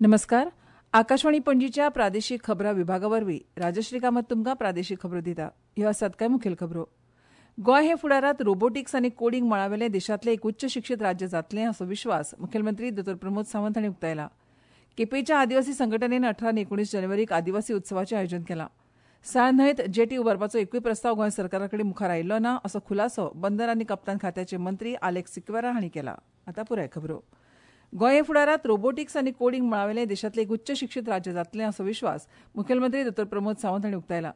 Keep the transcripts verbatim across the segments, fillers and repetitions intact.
नमस्कार. आकाशवाणी पणजीच्या प्रादेशीक खबरां विभागा वरवीं राजश्री कामत तुमकां प्रादेशीक खबरो दिता. ह्यो आसात कांय मुखेल खबरो. गोंय हे फुडारांत रोबोटिक्स आनी कोडिंग मळावेलें देशांतलें एक उच्च शिक्षीत राज्य जातलें असो विश्वास मुखेलमंत्री दोतोर प्रमोद सावंत हांणी उक्तायला. केपेंच्या आदिवासी संघटनेन अठरा आनी एकुणीस जानेवारीक आदिवासी उत्सवाचें आयोजन केलां. साळ न्हंयत जेटी उबारपाचो एकूय प्रस्ताव गोंय सरकारा कडेन मुखार आयिल्लो ना असो खुलासो बंदर आनी कप्तान खात्याचे मंत्री आलेक्स सिक्वेरा हांणी केला. आतां पुराय खबरो. गोंय हे फुडारांत रोबोटिक्स आनी कोडिंग मळावेलें देशांतलें एक उच्च शिक्षीत राज्य जातलें असो विश्वास मुखेलमंत्री दोतोर प्रमोद सावंत हांणी उक्तायला.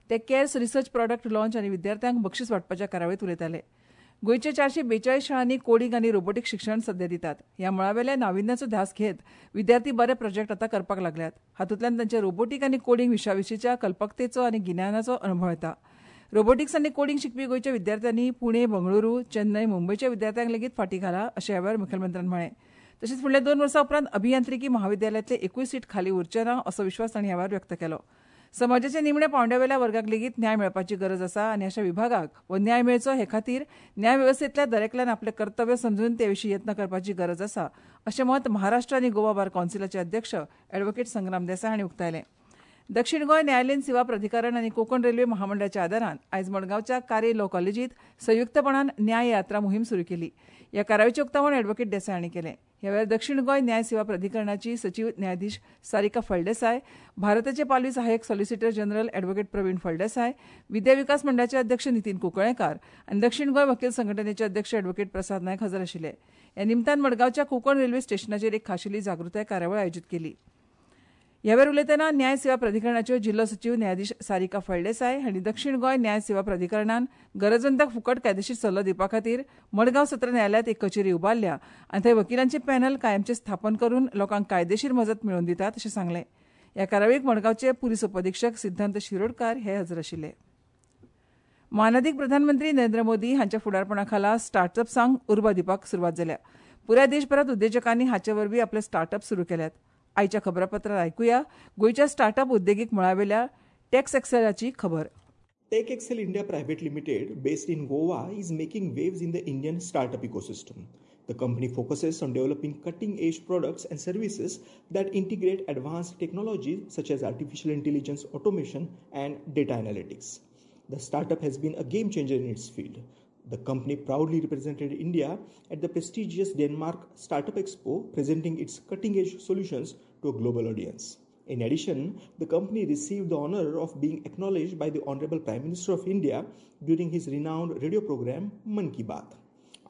ते कॅर्स रिसर्च प्रॉडक्ट लॉन्च आनी विद्यार्थ्यांक बक्षीस वांटपाच्या कार्यावळींत उलयताले. गोंयच्या चारशे बेचाळीस शाळांनी कोडिंग आनी रोबोटिक्स शिक्षण सध्या दितात. ह्या मळावेल्या नाविन्याचो ध्यास घेत विद्यार्थी बरे प्रोजेक्ट आतां करपाक लागल्यात. हातूंतल्यान तांच्या रोबोटीक आनी कोडिंग विशया विशींच्या कल्पकतेचो आनी गिन्यानाचो अणभव येता. रोबोटिक्स आनी कोडिंग शिकपी गोंयच्या विद्यार्थ्यांनी पुणे, बंगळुरू, चेन्नय, मुंबयच्या विद्यार्थ्यांक लेगीत फाटीं घाला अशें ह्या वेळार मुखेलमंत्र्यान म्हळें. तशेंच फुडल्या दोन वर्सां उपरांत अभियांत्रिकी महाविद्यालयांतले एकूय सीट खाली उरचें ना असो विश्वास तांणी ह्या वेळार व्यक्त केलो. समाजाच्या निमण्या पांवड्यावेल्या वर्गाक लेगीत न्याय मेळपाची गरज आसा आनी अशा विभागाक हो न्याय मेळचो हे खातीर न्याय वेवस्थेंतल्या दरेकल्यान आपलें कर्तव्य समजून ते विशीं यत्न करपाची गरज आसा अशें मत महाराष्ट्र आनी गोवा बार कौन्सिलाचे अध्यक्ष ॲडव्होकेट संग्राम देसाय हांणी उक्तायलें. दक्षिण गोंय न्यायालयीन सेवा प्राधिकरण आनी कोंकण रेल्वे महामंडळाच्या आदारान आयज मडगांवच्या कारे लॉ कॉलेजींत संयुक्तपणान न्याय यात्रा मोहीम सुरू केली. ह्या कार्यावळीचें उक्तावण ॲडव्होकेट देसाय हांणी केलें. ह्या वेळार दक्षिण गोंय न्याय सेवा प्राधिकरणाची सचीव न्यायाधीश सारिका फळदेसाय, भारताचे पालवी सहाय्यक सॉलिसिटर जनरल ॲडव्होकेट प्रवीण फळदेसाय, विद्या विकास मंडळाचे अध्यक्ष नितीन कुंकळेकार आनी दक्षिण गोंय वकील संघटनेचे अध्यक्ष ॲडव्होकेट प्रसाद नायक हजर आशिल्ले. ह्या निमतान मडगांवच्या कोंकण रेल्वे स्टेशनाचेर एक खाशेली जागृताय कार्यावळ आयोजीत केली. ह्या वेळार उलयतना न्याय सेवा प्राधिकरणाच्यो जिल्लो सचीव न्यायाधीश सारिका फळदेसाय हांणी दक्षिण गोंय न्याय सेवा प्राधिकरणान गरजवंतांक फुकट कायदेशीर सल्लो दिवपा खातीर मडगांव सत्र न्यायालयांत एक कचेरी उबारल्या आनी थंय वकिलांचें पॅनल कायमचें स्थापन करून लोकांक कायदेशीर मजत मेळोवन दितात अशें सांगलें. ह्या कार्यावळीक मडगांवचे पुलीस उपअधिक्षक सिद्धांत शिरोडकार हे हजर आशिल्ले. मानादीक प्रधानमंत्री नरेंद्र मोदी हांच्या फुडारपणा खाला स्टार्टअप्सांक उर्बा दिवपाक सुरवात जाल्या. पुराय देशभरांत उद्देजकांनी हाचे वरवीं आपले स्टार्टअप सुरू केल्यात. आयच्या खबरापत्रात आयकुया गोंयच्या स्टार्टअप उद्देगीक मळावेल्या टॅक्स एक्सेलाची खबर. Tech Excel India Private Limited, based in Goa, is making waves in the Indian startup ecosystem. The company focuses on developing cutting-edge products and services that integrate advanced technologies such as artificial intelligence, automation, and data analytics. The startup has been a game changer in its field. The company proudly represented India at the prestigious Denmark Startup Expo, presenting its cutting-edge solutions to a global audience. In addition, the company received the honor of being acknowledged by the Honorable Prime Minister of India during his renowned radio program Mann Ki Baat.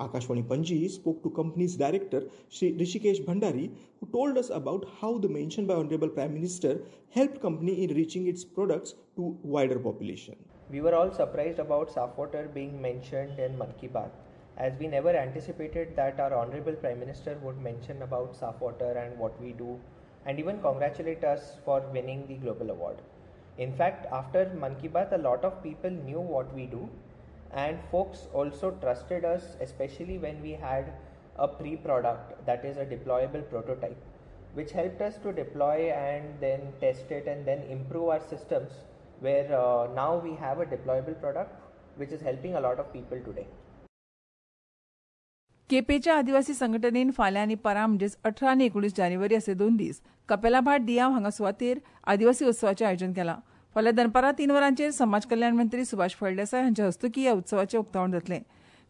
Akashvani Panji spoke to company's director Shri Rishikesh Bhandari, who told us about how the mention by Honorable Prime Minister helped company in reaching its products to wider population. We were all surprised about Safwater being mentioned in Mann Ki Baat, as we never anticipated that our Honorable Prime Minister would mention about Safwater and what we do, and even congratulate us for winning the global award. In fact, after Mann Ki Baat, a lot of people knew what we do, and folks also trusted us, especially when we had a pre-product, that is a deployable prototype, which helped us to deploy and then test it and then improve our systems, where uh, now we have a deployable product which is helping a lot of people today. केपेंच्या आदिवासी संघटनेन फाल्यां आनी परां म्हणजेच अठरा आनी एकुणीस जानेवारी असे दोन दीस कपेलाभाट दियाव हांगा सुवातेर आदिवासी उत्सवाचें आयोजन केलां. फाल्यां दनपारां तीन वरांचेर समाज कल्याण मंत्री सुभाष फळदेसाय हांच्या हस्तुकीं ह्या उत्सवाचें उक्तावण जातलें.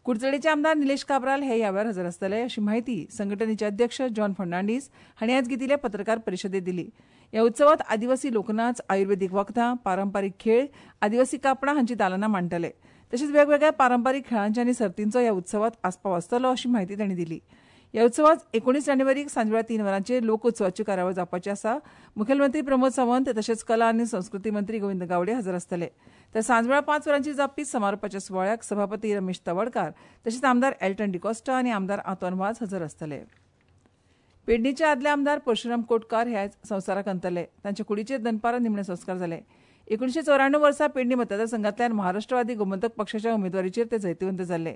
कुडचडेचे आमदार निलेश काब्राल हे ह्या वेळार हजर आसतले अशी म्हायती संघटनेचे अध्यक्ष जॉन फर्नांडीस हांणी आयज घेतिल्ले पत्रकार परिशदेंत दिली. ह्या उत्सवात आदिवासी लोकनाच, आयुर्वेदीक वखदां, पारंपारीक खेळ, आदिवासी कापडां हांची दालनां मांडटले. तशेंच वेगवेगळ्या पारंपारीक खेळांच्या आनी सर्तींचो ह्या उत्सवात आस्पाव आसतलो अशी म्हायती तांणी दिली. ह्या उत्सवात एकुणीस जानेवारीक सांजवेळा तीन वरांचेर लोकोत्सवाची कार्यावळ जावपाची आसा. मुखेलमंत्री प्रमोद सावंत तशेंच कला आनी संस्कृती मंत्री गोविंद गावडे हजर आसतले. तर सांजवेळा पांच वरांचेर जावपी समारोपाच्या सुवाळ्याक सभापती रमेश तवडकार तशेंच आमदार एल्टन डिकॉस्टा आनी आमदार आंतोन वाज हजर आसतले. पेडणेचे आदले आमदार परशुराम कोटकार हे आयज संवसाराक अंतरले. तांच्या कुडीचेर दनपारां निमणे संस्कार जाले. एकुणशे चौऱ्याण्णव वर्सा पेडणे मतदारसंघांतल्यान महाराष्ट्रवादी गोमंतक पक्षाच्या उमेदवारीचेर ते जैतिवंत जाल्ले.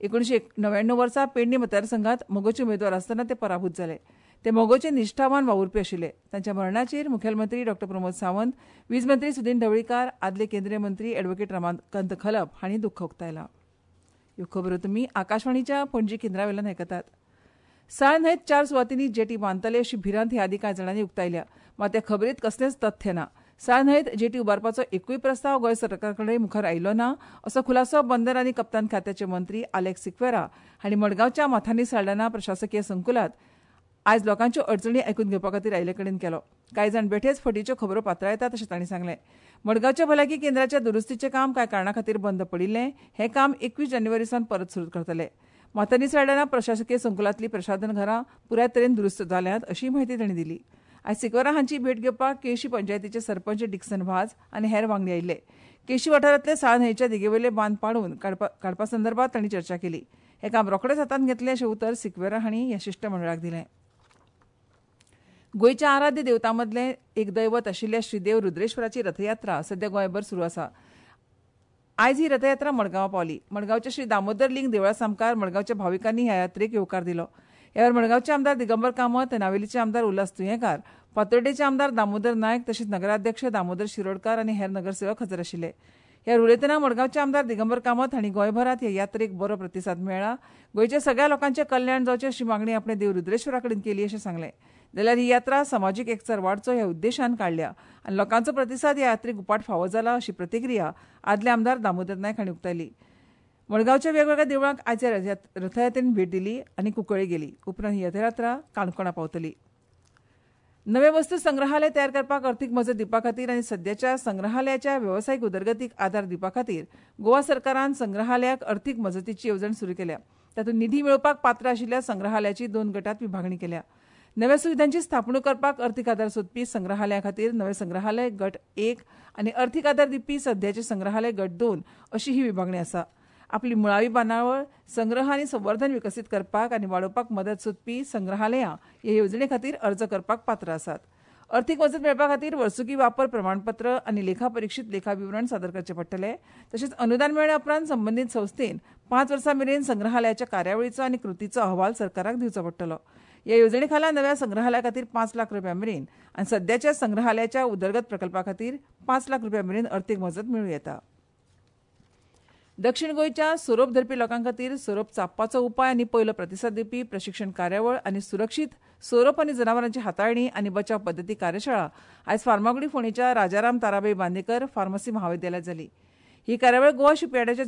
एकुणशे णव्याण्णव वर्सा पेडणे मतदारसंघात मगोचे उमेदवार आसतना ते पराभूत जाले. ते मगोचे निश्ठावान वावुरपी आशिल्ले. तांच्या मरणाचेर मुखेलमंत्री डॉ प्रमोद सावंत, वीज मंत्री सुदिन ढवळीकार, आदले केंद्रीय मंत्री ॲडव्होकेट रमाकांत खलप हांणी दुख्ख उक्तायलां. ह्यो खबरो तुमी आकाशवाणीच्या पणजी केंद्रा वयल्यान आयकतात. साळ न्हंयत चार सुवातींनी जेटी बांदतले अशी भिरांत ह्या आदीं कांय जाणांनी उक्तायल्या, मात त्या खबरेंत कसलेंच तथ्य ना. साळ न्हंयत जेटी उबारपाचो एकूय प्रस्ताव गोंय सरकारा कडेन मुखार आयिल्लो ना असो खुलासो बंदर आनी कप्तान खात्याचे मंत्री आलेक्स सिक्वेरा हांणी मडगांवच्या माथानी साल्डाना प्रशासकीय संकुलांत आयज लोकांच्यो अडचणी आयकून घेवपा खातीर आयिल्ले कडेन केलो. कांय जाण बेठेच फटीच्यो खबरो पातळायतात अशें तांणी सांगलें. मडगांवच्या भलायकी केंद्राच्या दुरुस्तीचें काम कांय कारणां खातीर बंद पडिल्लें. हें काम एकवीस जानेवारी सावन परत सुरू करतले. माथानी साल्डाना प्रशासकीय संकुलांतलीं प्रशासन घरां पुराय तरेन दुरुस्त जाल्यांत अशी म्हायती तांणी दिली. आयज सिक्वेरा हांची भेट घेवपाक केशी पंचायतीचे सरपंच डिक्सन वाज आनी हेर वांगडी आयिल्ले. केशी वाठारांतले साळ न्हंयच्या देगेवयले बांद पाडून काडपा संदर्भात तांणी चर्चा केली. हें काम रोखडेंच हातांत घेतलें अशें उतर सिक्वेरा हांणी ह्या शिश्टमंडळाक दिलें. गोंयच्या आराध्य देवतां मदलें एक दैवत आशिल्ल्या श्रीदेव रुद्रेश्वराची रथयात्रा सध्या गोंयभर सुरू आसा. आयज ही रथयात्रा मडगांवां पावली. मडगांवच्या श्री दामोदर लिंग देवळा सामकार मडगांवच्या भाविकांनी ह्या यात्रेक येवकार दिलो. ह्या वेळार मडगांवचे आमदार दिगंबर कामत, नावेलीचे आमदार उल्हास तुयेंकार, फातोड्डेचे आमदार दामोदर नायक तशेंच नगराध्यक्ष दामोदर शिरोडकार आनी हेर नगरसेवक हजर आशिल्ले. ह्या उलयतना मडगांवचे आमदार दिगंबर कामत हांणी गोंयभरांत ह्या यात्रेक बरो प्रतिसाद मेळ्ळा. गोंयच्या सगळ्या लोकांचें कल्याण जावचें अशी मागणी आपणे देव रुद्रेश्वरा कडेन केली अशें सांगलें. जाल्यार ही यात्रा समाजीक एकचार वाडचो ह्या उद्देशान काडल्या आनी लोकांचो प्रतिसाद ह्या यात्रेक उपाट फावो जाला अशी प्रतिक्रिया आदले आमदार दामोदर नायक हांणी उक्तायली. मडगांवच्या वेगवेगळ्या देवळांक आयज रथयात्रेन भेट दिली आनी कुंकळ्ळी गेली. उपरांत ही रथयात्रा काणकोणा पावतली. नवे वस्तू संग्रहालय तयार करपाक अर्थीक मजत दिवपा खातीर आनी सद्याच्या संग्रहालयाच्या वेवसायीक उदरगतीक आदार दिवपा खातीर गोवा सरकारान संग्रहालयाक अर्थीक मजतीची येवजण सुरू केल्या. तातूंत निधी मेळोवपाक पात्र आशिल्ल्या संग्रहालयाची दोन गटांत विभागणी केल्या. नव्या सुविधांची स्थापणूक करपाक अर्थीक आदार सोदपी संग्रहालया खातीर नवे संग्रहालय गट एक आनी अर्थीक आदार दिवपी सद्याचे संग्रहालय गट दोन अशी ही विभागणी आसा. आपली मुळावी बांदावळ, संग्रह आनी संवर्धन विकसीत करपाक आनी वाडोवपाक मदत सोदपी संग्रहालयां हे येवजणे खातीर अर्ज करपाक पात्र आसात. अर्थीक मजत मेळपा खातीर वर्सुकी वापर प्रमाणपत्र आनी लेखा परिक्षीत लेखा विवरण सादर करचें पडटलें. तशेंच अनुदान मेळ्ळ्या उपरांत संबंदीत संस्थेन पांच वर्सां मेरेन संग्रहालयाच्या कार्यावळीचो आनी कृतीचो अहवाल सरकाराक दिवचो पडटलो. ह्या येवजणे खाला नव्या संग्रहालया खातीर पांच लाख रुपया मेरेन आनी सद्याच्या संग्रहालयाच्या उदरगत प्रकल्पा खातीर पांच लाख रुपया मेरेन अर्थीक मजत मेळूं येता. दक्षिण गोंयच्या सोरोप धरपी लोकां खातीर सोरोप चाबपाचो उपाय आनी पयलो प्रतिसाद दिवपी प्रशिक्षण कार्यावळ आनी सुरक्षीत सोरोप आनी जनावरांची हाताळणी आनी बचाव पद्दती कार्यशाळा आयज फार्मागुडी फोंडेच्या राजाराम ताराबाई बांदेकर फार्मसी महाविद्यालयांत जाली. ही कार्यावळ गोवा शिपयार्डाच्या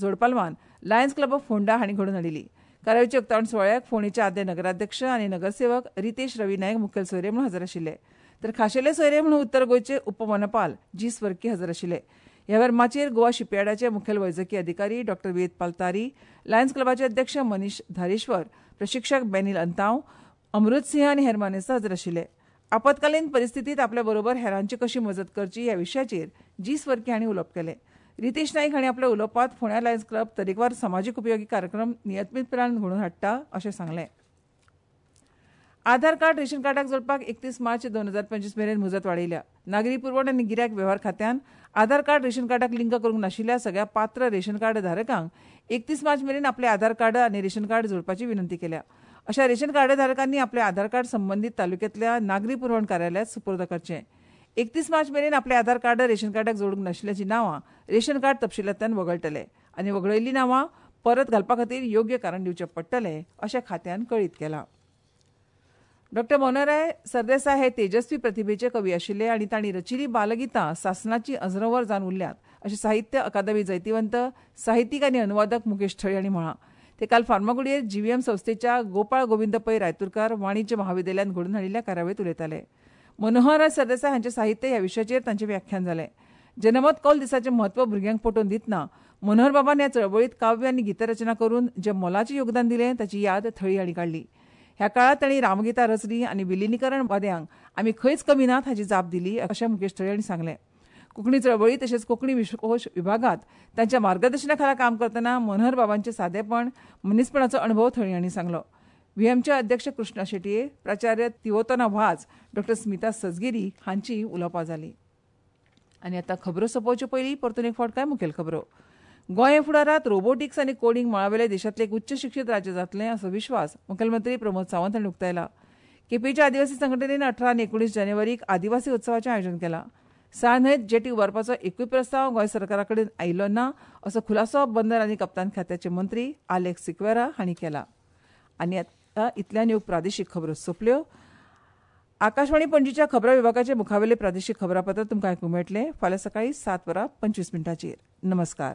जोडपालवान लायन्स क्लब ऑफ फोंडा हांणी घडोवन हाडिल्ली. कार्यावळीच्या उक्तावण सुवाळ्याक फोंडेचे आदले नगराध्यक्ष आनी नगरसेवक रितेश रवी नायक मुखेल सोयरे म्हणून हजर आशिल्ले. तर खाशेले सोयरे म्हणून उत्तर गोंयचे उपवनपाल जी स्वर्की हजर आशिल्ले. ह्या वेळार माचयेर गोवा शिपयार्डाचे मुखेल वैजकी अधिकारी डॉक्टर वेदपाल तारी, लायन्स क्लबाचे अध्यक्ष मनीष धारेश्वर, प्रशिक्षक बेनील अंताव, अमृत सिंह आनी हेर मानेस्त हजर आशिल्ले. आपत्कालीन परिस्थितीत आपल्या बरोबर हेरांची कशी मजत करची ह्या विशयाचेर जी स्वर्की हांणी उलोवप केलें. रितेश नायक हांणी आपल्या उलोवपांत फोंड्या लायन्स क्लब तरेकवार समाजीक उपयोगी कार्यक्रम नियमीतपणान घडोवन हाडटा अशें सांगलें. आधार कार्ड रेशन कार्डाक जोडपाक एकतीस मार्च दोन हजार पंचवीस मेरेन मुजत वाडयल्या. नागरी पुरवण आनी गिरायक वेव्हार खात्यान आधार कार्ड रेशन कार्डाक लिंक करूंक नाशिल्ल्या सगळ्या पात्र रेशन कार्ड धारकांक एकतीस मार्च मेरेन आपले आधार कार्ड आनी रेशन कार्ड जोडपाची विनंती केल्या. अशा रेशन कार्ड धारकांनी आपले आधार कार्ड संबंदीत तालुक्यांतल्या नागरी पुरवण कार्यालयांत सुपूर्द करचें. एकतीस मार्च मेरेन आपले आधार कार्ड रेशन कार्डाक जोडूंक नाशिल्ल्याचीं नांवां रेशन कार्ड तपशिलांतल्यान वगळटले आनी वगळयल्लीं नांवां परत घालपा खातीर योग्य कारण दिवचें पडटलें अशें खात्यान कळीत केलां. डॉक्टर मनोहरराय सरदेसाय हे तेजस्वी प्रतिभेचे कवी आशिल्ले आनी तांणी रचिल्लीं बालगितां सासणाची अजरंवर जावन उरल्यात अशें साहित्य अकादमी जैतिवंत साहित्यीक आनी अनुवादक मुकेश थळी हांणी म्हळां. ते काल फार्मागुडयेर जीव्हीएम संस्थेच्या गोपाळ गोविंद पै रायतुरकार वाणिज्य महाविद्यालयांत घडोवन हाडिल्ल्या कार्यावळींत उलयताले. मनोहरराय सरदेसाय हांचें साहित्य ह्या विशयाचेर तांचें व्याख्यान जालें. जनमत कौल दिसाचें म्हत्व भुरग्यांक पटोवन दितना मनोहरबाबान ह्या चळवळींत काव्य आनी गीतरचना करून जें मोलाचें योगदान दिलें ताची याद थळी हांणी काडली. ह्या काळांत तांणी रामगीता रचली आनी विलिनीकरणवाद्यांक आमी खंयच कमी नात हाची जाप दिली अशें मुकेश थळी हांणी सांगलें. कोंकणी चळवळी तशेंच कोंकणी विश्वकोश विभागांत तांच्या मार्गदर्शना खाला काम करतना मनोहरबाबांचें सादेपण, मनीसपणाचो अणभव थळी हांणी सांगलो. व्हीएमचे अध्यक्ष कृष्णा शेटये, प्राचार्य तिवोतना वाज, डॉक्टर स्मिता सजगिरी हांची उलोवपां जालीं. आनी आतां खबरो सोंपोवचे पयलीं परतून एक फावट कांय मुखेल खबरो. गोंय फुडारांत रोबोटिक्स आनी कोडिंग मळावेले देशांतलें एक उच्च शिक्षीत राज्य जातलें असो विश्वास मुखेलमंत्री प्रमोद सावंत हांणी उक्तायला. केपेंच्या आदिवासी संघटनेन अठरा आनी एकुणीस जानेवारीक आदिवासी उत्सवाचें आयोजन केलां. साळ न्हंयत जेटी उबारपाचो एकूय प्रस्ताव गोंय सरकारा कडेन आयिल्लो ना असो खुलासो बंदर आनी कप्तान खात्याचे मंत्री आलेक्स सिक्वेरा हांणी केला. आनी इतल्यान ह्यो प्रादेशीक खबरो सोंपल्यो. आकाशवाणी पणजीच्या खबरां विभागाचे मुखावेले प्रादेशीक खबरापत्र तुमकां आयकूंक मेळटलें फाल्यां सकाळीं सात वरां पंचवीस मिनटांचेर. नमस्कार.